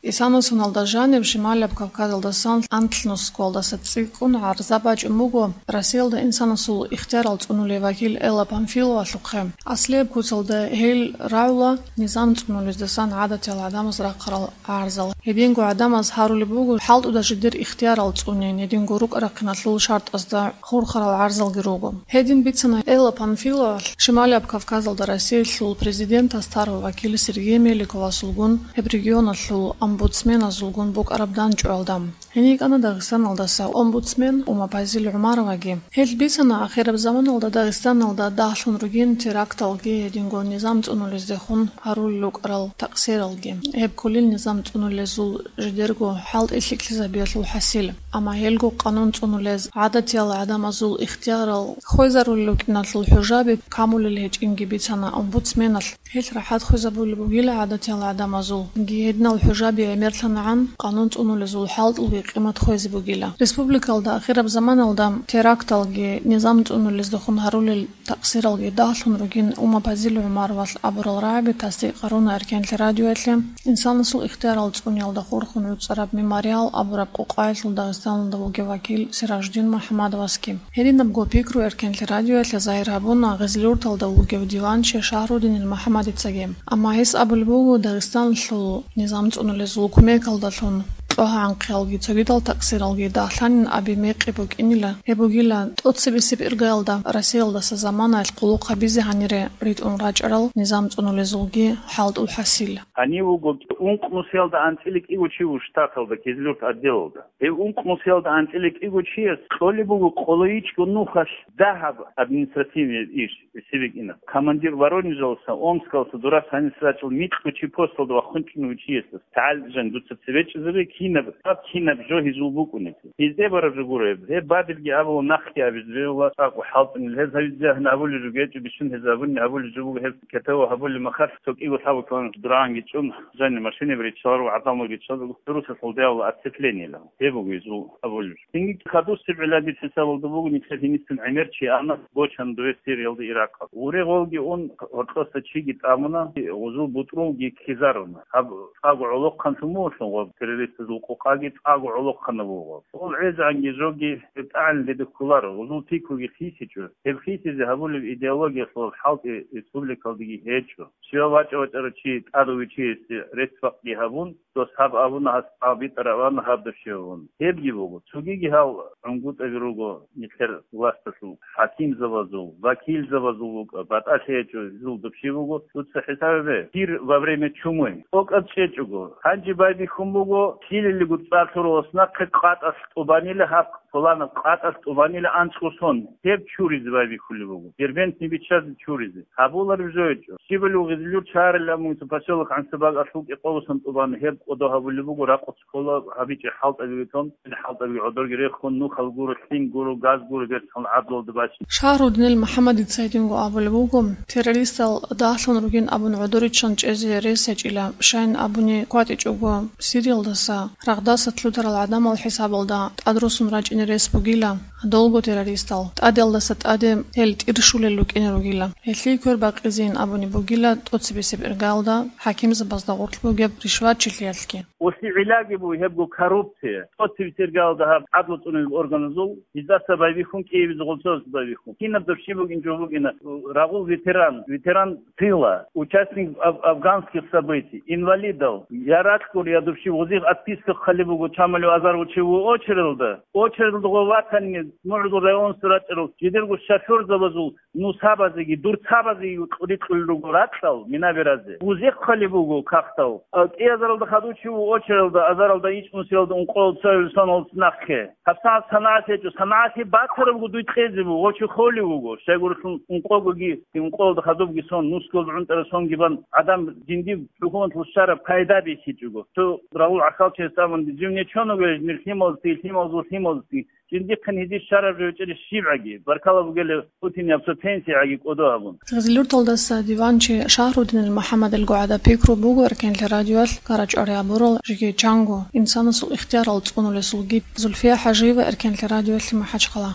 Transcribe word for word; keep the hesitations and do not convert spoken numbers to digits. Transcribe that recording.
Исана соналда жаниб Шималияб Кавказалдасан анлънусгоялдаса цӀикӀкӀун гӀарза бачӀун буго Россиялда инсанасул ихтиярал цӀунулев вакил Элла Памфиловалъухъе. Аслияб куцалда гьел рагӀула низам цӀунулездасан гӀадатиял гӀадамаз рахъарал гӀарзал. Гьединго гӀадамаз гьарулеб буго хӀалтӀуда жидер ихтиярал цӀунин, гьединго рукӀа-рахъиналъул шартӀазда хурхарал гӀарзалги руго. Гьедин бицана Элла Памфиловалъ Шималияб Кавказалда Россиялъул президентас тарав вакил Сергей Меликовасулгун, гьеб регионалъул омбудсменазулгун букӀараб данчӀвалда. Гьенив кӀана Дагъистаналдаса омбудсмен Умапазил ГӀумароваги. Гьел бицана ахираб заманалда Дагъистаналда дагьлъун ругин теракталги гьединго низам цӀунулездехун гьарулел рукӀарал такъсиралги. Гьеб кколел низам цӀунулезул жидерго хӀалтӀи лъикӀлъизабиялъул хӀасил. Амма гьелго къанун цӀунулез гӀадатиял гӀадамазул ихтиярал хвезарулел рукӀиналъул хӀужаби камулел гьечӀинги бицана омбудсменалъ. Гьел рахӀат хвезабулеб бугила гӀадатиял гӀадамазулги гьединал хӀужаби гӀемерлъанагӀан къанун цӀунулезул хӀалтӀулги къимат хвезе бугила. Республикалда ахираб заманалда теракталги низам цӀунулездехун гьарулел такъсиралги дагьлъун ругин Умапазил ГӀумаровалъ абурал рагӀаби тасдикъ гьаруна Эркенлъи радиоялъе инсанасул ихтиярал цӀуниялда хурхун гӀуцӀараб «Мемориал» абураб къукъаялъул Дагъистаналда вугев вакил Сиражудин МухӀаммадовасги. Гьединабго пикру Эркенлъи радиоялъе загьир гьабуна Гъизлиюрталда вугев диванчи Шагьрудинил МухӀаммадицаги. Амма гьес абулеб буго, Дагъистаналъул низам цӀунулезул кумекалдалъун кьогьа-гӀанхъиялги цогидал такъсиралги дагьлъанин аби мекъи букӀинила, гьеб бугила тӀоцебесеб иргаялда Россиялдаса заманаялъ къулухъ гьабизе гьанире ритӀун рачӀарал низам цӀунулезулги хӀалтӀул хӀасил. Гьанив вуго ункънусиялда анцӀила кӀиго чи вуго штаталда, Кизлюрт отделалда. Гьев ункънусиялда анцӀила кӀиго чияс кьолеб буго къолойичӀго нухалъ дагьаб административный иш, сибикӀина. Командир Воронежалса, Омскалса, дурас гьанис рачӀул микьго чи посталда вахъун чӀунев чиясда, тагӀал жан дуца цеве чӀезабе, кинаб, тӀад кинаб жо гьезул букӀунеб. Гьезде бараб жо гуро гьеб. Гьеб бадибги абула, нахъги абизе бегьула, цӀакъго хӀалтӀунел. Гьез гьавизе гьанна абулеб жо гечӀо, бищун гьез абуни абулеб жо буго, гьеб кетава гьабулеб махалъ, цо кӀиго лъабго километр дураанги чӀун, жани машинаби риччаларо, гӀадамалги риччаларо, русасул дявла отцеплениела. Гьеб буго гьезул абулеб жо. Цинги хадусеб гӀиллаги хӀисабалда буго, нилъер гьинисин гӀемер чи ана, бочана дове Сириялда, Иракалда. Гъуре гъолги ун, гьоркьоса чиги тӀамуна, гъузул бутӀрулги ккезаруна. Гьаб цӀакъго гӀолохъанлъун мугьлъун гъоб террористазул къокъаги цӀакъго гӀолохъанаб буго. Гъол гӀезегӀанги жоги гьеб тӀагӀинлъи кколаро, гъузул пикруги хисичӀо. Гьеб хисизе гьабулеб идеологиялъул хӀалтӀи республикалдаги гьечӀо. Щивав вачӀа-вачӀарав чи тӀадав вичиясе рецц-бакъги гьабун, дос гьаб абуна, гьас гьаб битӀараб абуна, гьаб дов щивав вуна. Гьебги буго, цогиги гьал гӀунгутӀаби руго нилъер власталъул, хӀакимзабазул, вакилзабазул вукӀа, батӀалъи гьечӀо, гьезул дов щив вуго, дуца хӀисаб гьабе, пир во время чумы, тӀокӀаб чӀечӀого, гьанже байбихьун буго, ккелелего цӀар лъуралас нахъе къатӀалъ тӀубанила гьаб, пуланаб къатӀалъ тӀубанила анцӀго сон, гьеб чуризе байбихьулеб буго, Дербентни биччазе чуризе. Гьабулареб жо гьечӀо. Щибали Гъизлюр чарилан муниципал поселок ГӀансабаг алъул кӀикъоялдасан тӀубан гьеб кӀодо гьабулеб буго, ракъу цо ккола гьабичӀеб хӀалтӀаби витӀун, хӀалтӀаби гӀодорги рехун, нухал гуро, лъим гуро, газ гуро, берцал гӀадлалда бачине. Шагьрудинил МухӀаммадица гьединго абулеб буго, террористал дагьлъун ругин абун гӀодориччан чӀезе рес гьечӀила, щайин абуни кватӀичӀого Сириялдаса рагъдаса лъутарал гӀадамал хӀисабалда тӀадрусун рачӀине рес бугила. Долго террористал тӀадалдаса тӀаде гьел тӀирщулел рукӀине ругила. Гьелъие квер бакъизейин абуни бугила тӀоцебесеб иргаялда хӀакимзабазда гъорлъ бугеб ришватчилъиялъги. Оси гӀиллаги буго гьебго коррупция. ТӀоцебесеб иргаялда гьаб гӀадлу цӀунулел органазул гьездаса байбихьун, кӀиабизе гъолцоясда байбихьун. Кинаб дов щив бугин жо букӀина, рагъул ветеран, ветеран тыла, участник аф-, афганских событий, инвалидал, я ракьгур, я дов щив, гъозихъ отписка хъалеб буго, чамалев азар гъочев вуго очередалда. Очередалда гъо ватани, мугӀзул районасда рачӀарал, жидерго шофёрзабазул нусабазеги, дурцабазеги рикьулел руго ракьал, мина беразе. Гъозихъ хъалеб буго кагътал. А, кӀиазаралда хадув чи вуго очередалда, азаралда, ичӀнусиялда, ункъоялда, цоял соналда нахъе. ГьабсагӀат санагӀат гьечӀо, санагӀат гьеб бацарабго дуй кьезе буго, гъочи холев вуго, щайгурелъул ункъогоги, ункъоялда хадубги сон, нусгоялда гӀунтӀараб сонги бан, гӀадан жиндир хӀукуматалъул щвараб пайда бихьичӀого. Цо рагъул гӀахьалчияс абун, жив нечоного гьечӀо, нир лъималазги, лъималазул лъималазги, жиндихъин гьезие щвараб жо гьечӀеб щибгӀаги, баркала бугелев Путин аб цо пенсиягӀаги кӀодо абун. Гъизлиюрталдаса диванчи Шагьрудинил МухӀаммадилго гӀада пикру буго Эркенлъи радиоялъ карачӀвари гьабурал жеги чанго инсанасул ихтиярал цӀунулесулги. Зульфия ХӀажиева, Эркенлъи радиоялъе, МахӀачхъала.